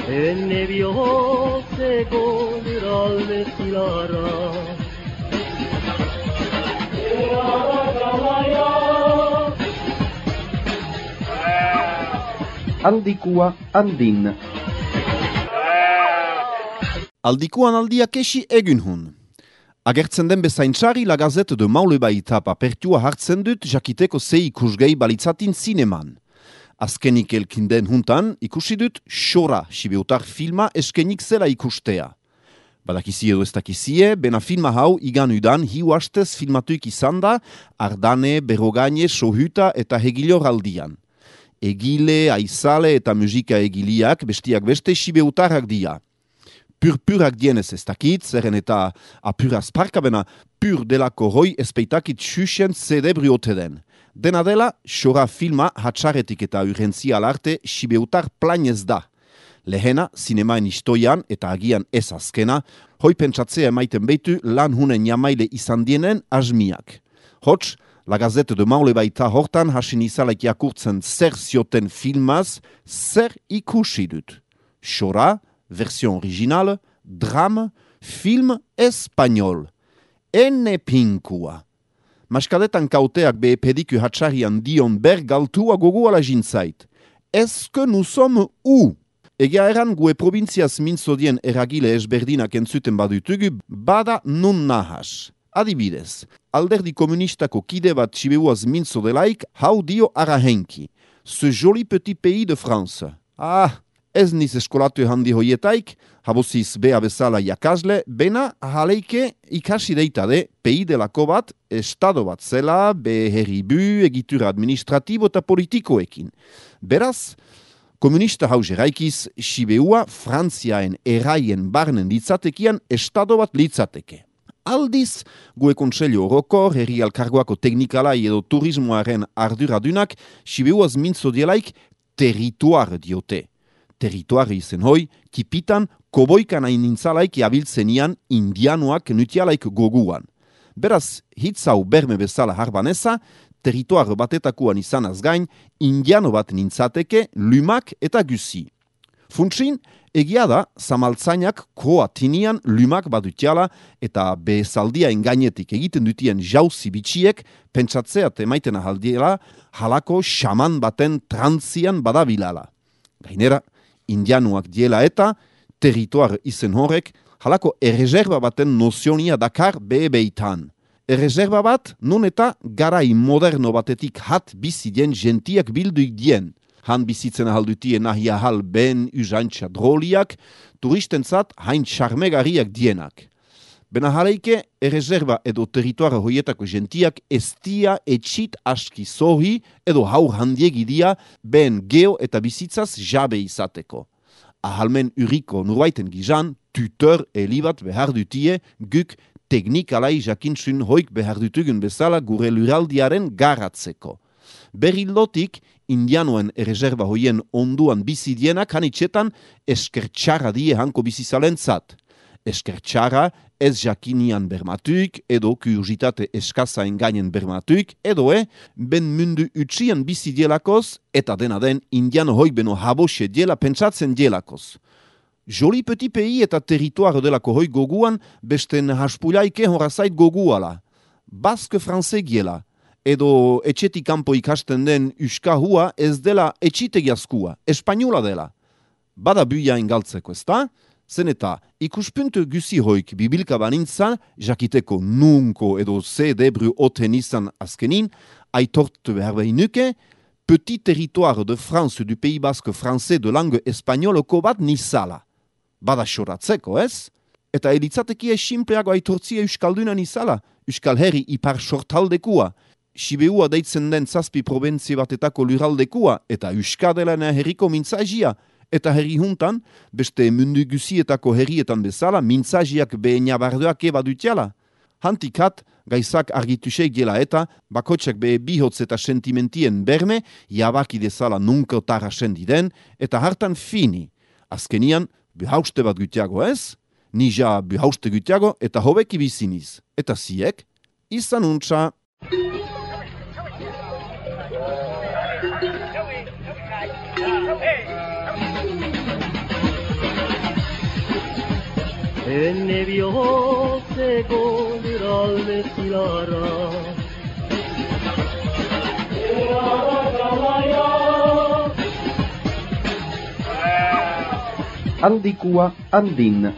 Enne bihotze goneralde zilara Aldikua andin. Aldikuan aldiak esi egun hun. Agertzen den bezaintzari La Gazette de Maule-Baita papertua hartzen dut jakiteko zei ikusgei balitzatin zineman. Azkenik elkinden huntan ikusi dut Xora Sibeutar filma eskenik zela ikustea. Badakizie edo ez dakizie, bena filma hau igan udan hiu hastez filmatuik izan da Ardane, Berrogaine, Sohuta eta Hegilor aldian. Egile, aizale eta musika egiliak bestiak beste Sibeutarrak dia. Purpurak dienez ez dakit, zerren eta apuraz parkabena pur delako hoi espeitakit xuxen zedebri ote den. Dena dela, Xora filma hatxaretik eta urgentzial arte Sibeutar planez da. Lehena, zinemaen istoian eta agian ez azkena, hoi pentsatzea emaiten beitu lan hunen jamaile izan dienen asmiak. Hots, La Gazette de Maule-Baita hortan hasin izalaik jakurtzen zer zioten filmaz, zer ikusi dut. Xora, version original, drame, film espagnol. Ene pinkua. Maskadetan kauteak be pediku hatxarian dion bergaltua goguala jintzait. Eske nous sommes où? Egia eran gue provinziaz mintzodien eragile ezberdinak entzuten badutugu, bada nun nahas. Adibidez, alderdi komunistako kide bat Sibeuaz mintzodelaik, hau dio arahenki. Ce joli petit pays de France. Ah, ez niz eskolatu handi hoietaik, haboziz bea bezala jakasle, bena haleike ikasi deitade pei delako bat, estado bat zela, be herribu, egitura administratibo eta politikoekin. Beraz, komunista hau jeraikiz, Sibeua Frantziaen eraien barnen litzatekian estado bat litzateke. Aldiz, gue kontseilu orokor, herri alkargoako teknikalai edo turismoaren arduradunak, Sibeuaz mintzodielaik territuar diote. Territuari izen hoi, kipitan koboikan hain nintzalaik abiltzenian indianuak nutialaik goguan. Beraz, hitzau berme bezala harbaneza, territuar batetakuan izanaz gain, indiano bat nintzateke, lumak eta gusi. Funtsin, egia da, zamaltzainak kroatinian lumak badutiala eta bezaldia engainetik egiten dutien jauzi bitxiek pentsatzeat emaiten ahaldiela halako xaman baten trantzian badabilala. Gainera, indianuak diela eta territuar izen horrek halako erreserba baten nozionia dakar beitan. Erreserba bat nun eta garai moderno batetik hat bizidien gentiak bilduik dien. Han bizitzen ahaldutien nahi ahal ben usantxa droliak, turistentzat hain charmegariak dienak. Bena jaleike, erreserba edo territoara hoietako gentiak estia etxit aski zohi edo haur handiegi dia ben geo eta bizitzaz jabe izateko. Ahalmen uriko nurbaiten gizan, tutor elibat behar dutie guk teknikalai jakintsun hoik behar dutugun bezala gure luraldiaren garatzeko. Berrilotik, indianoen erreserba hoien onduan bizidienak hanitxetan eskertxarra die hanko bizizalentzat. Eskertxarra ez jakinian bermatuik edo kuriositate eskaza engainen bermatuik edo ben mundu utsian bizidielakoz eta dena den indiano hoi beno habose diela pentsatzen dielakoz. Joli petit pays eta territoire delako hoi goguan besten haspulaike horazait goguala. Baske franze giela. Edo etxetik kanpo ikasten den uskahua ez dela etxitegiazkua, espainola dela. Bada buia engaltzeko, ezta? Zen eta ikuspuntu guzi hoik bibilka banintzan, jakiteko nunko edo zedebru oten izan azkenin, aitortu behar behinuke, petit territoire de France du Pays Basque français de langue espagnoloko bat nizala. Bada xoratzeko, ez? Eta elitzatekia simpleago aitortzia euskaldunan izala, euskal herri ipar sortaldekua, Sibeua deitzen den zazpi probentzi batetako luraldekua eta euskadelana herriko mintzagia, eta herri juntan, beste mundu guzietako herrietan bezala, mintzagiak behe nabardoak badutiala. Hantikat, gaizak argitusek gela eta, bakotxak behe bihotz eta sentimentien berme, jabaki dezala nunkotara sendiden, eta hartan fini. Azkenian, behauste bat gutiago ez? Nija behauste gutiago eta hobeki biziniz. Eta ziek? izan untxa. Enne bihotzeko eralde zilarra. Handikua handin.